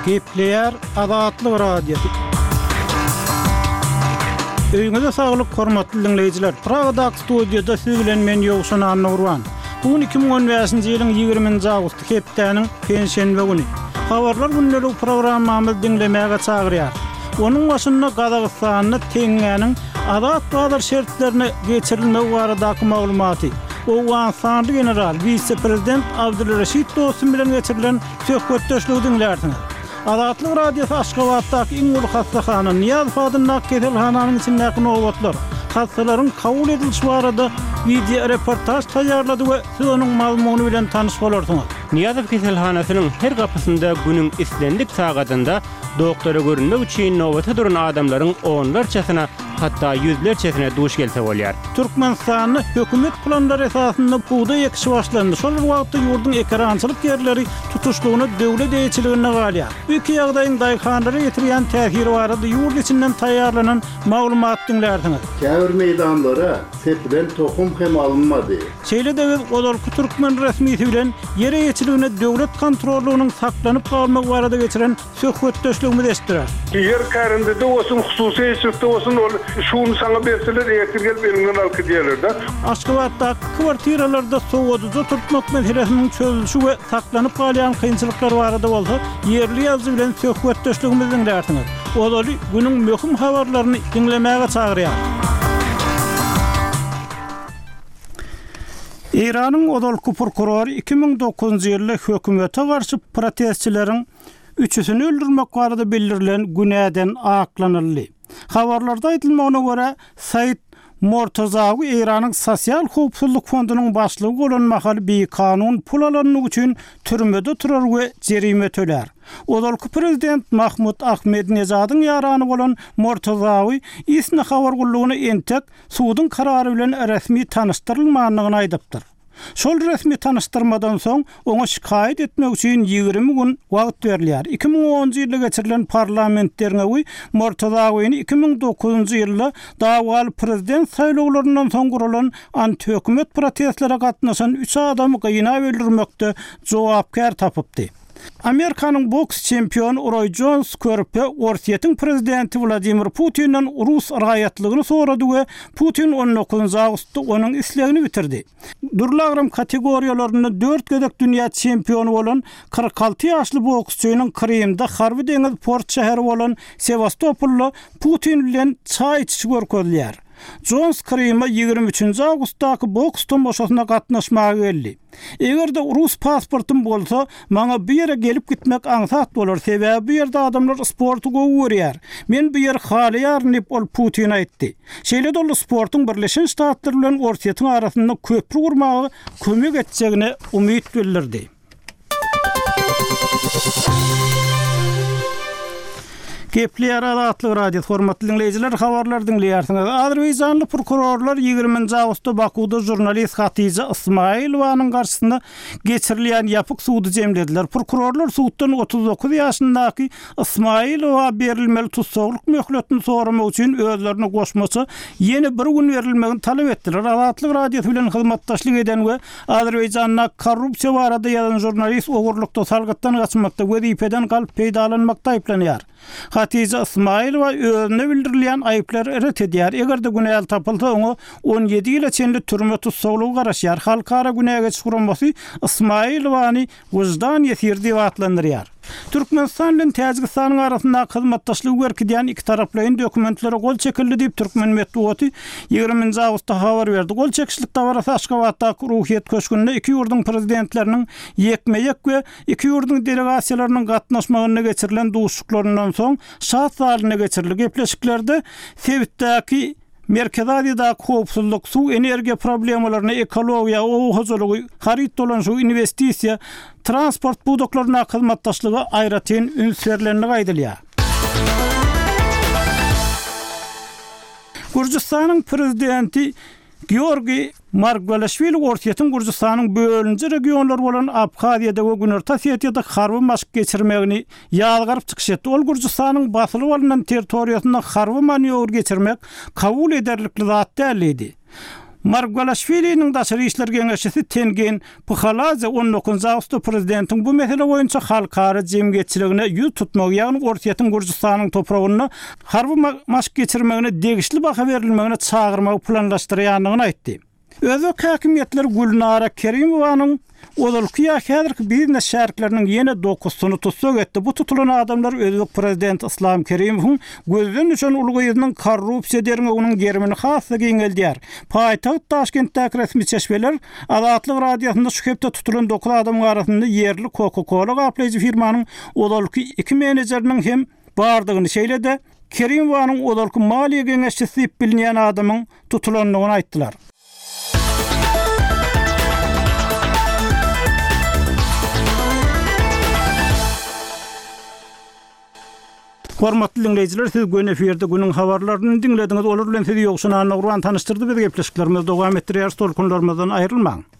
Gepleýär Azatlyk Radiosy. Öýüňize saglyk, hormatly diňleýjiler! Pragadaky studiýada siz bilen men Ýowşan Annagurban. Bu gün 2015-nji ýylyň 20-nji awgusty, hepdäniň penşenbe güni. Habarlar gündeligi programmamyzy diňlemäge çagyrýarys. Onuň başynda Gazagystanda teňňäniň azat bazar şertlerine geçirilmegi baradaky maglumaty, owganystanly general, wise-prezident Abdulreşit Dostum bilen geçirilen söhbetdeşligi diňlärsiňiz. Azatlyk Radiosy Aşgabatdaky iň uly hassahana, Nyýazow adyndaky keselhananyň içindäki nobatlar, hassalaryň kabul edilişi barada wideoreportaž taýýarlady we siz onuň mazmuny bilen tanyş bolarsyňyz. Nyýazow keselhanasynyň her gapysynda günüň islendik sagadynda doktora görünmek üçin nobata duran adamlaryň onlarçasyna, hatda ýüzlerçesine duş gelse bolýar. Türkmenistanda hökümet planlary esasynda bugdaý ekişi başlandy. Şol bir wagtda ýurduň ekerançylyk ýerleri tutuşlygyna döwlet eýeçiliginde galýar. Bu iki ýagdaýyň daýhanlara ýetirýän täsiri barada ýurt içinden taýýarlanan maglumat diňlärsiňiz. Käbir meýdanlara sepilen tohum hem alynmady. Şeýle-de biz ozalky türkmen resmisi bilen ýer eýeçiligine döwlet kontrollygynyň saklanyp galmagy barada geçiren söhbetdeşligimizi eşitdirer. Ýer kärendede bolsun, hususy eýeçilikde bolsun, ol şu gün saňa berseler, ertir gelip eliňden alyp gidýärler-de. Aşgabatdaky kwartiralarda sowadyjy oturtmak meselesiniň çözülişi we saklanyp galýan kynçylyklar barada bolsa ýerli ýazyjy bilen söhbetdeşligimizi diňlärsiňiz. Ozaly günüň möhüm habarlaryny diňlemäge çagyrýarys. Eýranyň ozalky prokurory 2009-njy ýylda hökümete garşy protestçileriň üçüsini öldürmek barada bildirilen günäden aklanyldy. Habarlarda aýdylmagyna görä, Said Mortazawi Eýranyň Sosial howpsuzlyk fondunyň başlygy bolan mahaly bikanun pul alandygy üçin türmede oturar we jerime tölär. Ozalky prezident Mahmud Ahmedinejadyň ýarany bolan Mortazawi ISNA habar gullugyna entek suduň karary bilen resmi tanyşdyrylmandygyny aýdypdyr. Şol resmi tanyşdyrmadan soň, oňa şikaýat etmek üçin 20 gün wagt berilýär. 2010-njy ýylda geçirilen parlament derňewi Mortazawini 2009-njy ýylda dawaly prezident saýlawlaryndan soň guralan antihökümet protestlere gatnaşan üç adamy gynap öldürmekde jogapkär tapypdy. Amerikanyň boks çempiony Roý Jons körpe Orsýetiň prezidenti Wladimir Putinden rus raýatlygyny sorady we Putin on dokuzynjy awgustda onuň islegini bitirdi. Dürli agram kategoriýalarynda dört gezek dünýä çempiony bolan 46 ýaşly boksçynyň Krymda harby-deňiz port şäheri bolan Sewastopolda Putin bilen çaý içişi görkezilýär. Jons Kryma 23-nji awgustdaky boks tomaşasyna gatnaşmaga geldi. Eger-de rus pasportym bolsa, maňa bu ýere gelip gitmek aňsat bolar, sebäbi bu ýerde adamlar sporty gowy görýär. Men bu ýeri halaýaryn diýip, ol Putine aýtdy. Şeýle-de ol sportuň Birleşen Ştatlar bilen Orsýetiň arasynda köpri gurmaga kömek etjegine umyt bildirdi. Gepleýär Azatlyk Radiosy, hormatly diňleýjiler, habarlary diňleýärsiňiz. Azerbaýjanly prokurorlar 20-nji awgustda Bakuwda žurnalist Hatija Ysmaýylowanyň garşysyna geçirilýän ýapyk sudy jemlediler. Prokurorlar suddan 39 ýaşyndaky Ysmaýylowa berilmeli tussaglyk möhletini soramak üçin özlerine goşmaça ýene bir gün berilmegini talap etdiler. Azatlyk Radiosy bilen hyzmatdaşlyk eden we Azerbaýjanda korrupsiýa barada ýazan žurnalist ogurlykda, salgytdan gaçmakda, wezipeden galp peýdalanmakda aýyplanýar. Hatija Ysmaýylowa özüne bildirilýän aýyplary ret edýär. Eger-de günäli tapylsa, oňa 17 ýyla çenli türme tussaglygy garaşýar. Halkara günä geçiş guramasy Ysmaýylowany Wyždan ýesiri diýip atlandyrýar. Türkmenistan bilen Täjigistanyň arasyndaky hyzmatdaşlygy berkidýän ikitaraplaýyn dokumentlere gol çekildi diýip, türkmen metbugaty 20-nji awgustda habar berdi. Gol çekişlik dabarasy Aşgabatdaky Ruhyýet köşgünde iki ýurduň Prezidentleriniň ýekme-ýek we iki ýurduň delegasiýalarynyň gatnaşmagynda geçirilen duşuşyklaryndan soň Şat zalynda geçirildi. Gepleşiklerde sebitdäki Merkezi Aziýadaky howpsuzlyk, suw, energiýa problemalaryna, ekologiýa, oba hojalygy, haryt dolanyşygy, inwestisiýa, transport pudaklaryndaky hyzmatdaşlyga aýratyn üns berlendigi aýdylýar. Gürjüstanyň prezidenti Georgiý Margwelaşwili Orsýetiň Gürjüstanyň bölüniji regionlary bolan Abhaziýada we Günorta Osetiýada harby maşk geçirmegini ýazgaryp çykyş etdi. Ol Gürjüstanyň basylyp alnan territoriýasynda harby manýowr geçirmek kabul ederlikli zat däl diýdi. Margwelaşwiliniň daşary işler geňeşçisi Tengin Phaladze on dokuzynjy awgustda prezidentiň bu mesele boýunça halkara jemgyýetçiligine ýüz tutmagy, ýagny Orsýetiň Gürjüstanyň topragynda harby maşk geçirmegine degişli baha berilmegine çagyrmagy planlaşdyrýandygyny aýtdy. Özbek häkimiýetleri Gülnara Kerimowanyň ozalky ýa häzirki biznes şärikleriniň ýene dokuzysyny tussag etdi. Bu tutulan adamlar özbek prezidenti Yslam Kerimowyň gözden düşen uly gyzynyň korrupsiýa derňewiniň gerimini has-da giňeldýär. Paýtagt Daşkentdäki resmi çeşmeler Azatlyk Radiosynda şu hepde tutulan dokuz adamyň arasynda ýerli Coca-Cola gaplaýjy firmanyň ozalky iki menejeriniň hem bardygyny, şeýle-de Kerimowanyň ozalky maliýe geňeşçisi diýip bilinýän adamyň tutulandygyny aýtdylar. Hormatly diňleýjiler, siz göni efirde günüň habarlaryny diňlediňiz. Olar bilen sizi Ýowşan Annagurban tanyşdyrdy. Biz gepleşiklerimizi dowam etdirýäris. Tolkunlarymyzdan aýrylmaň.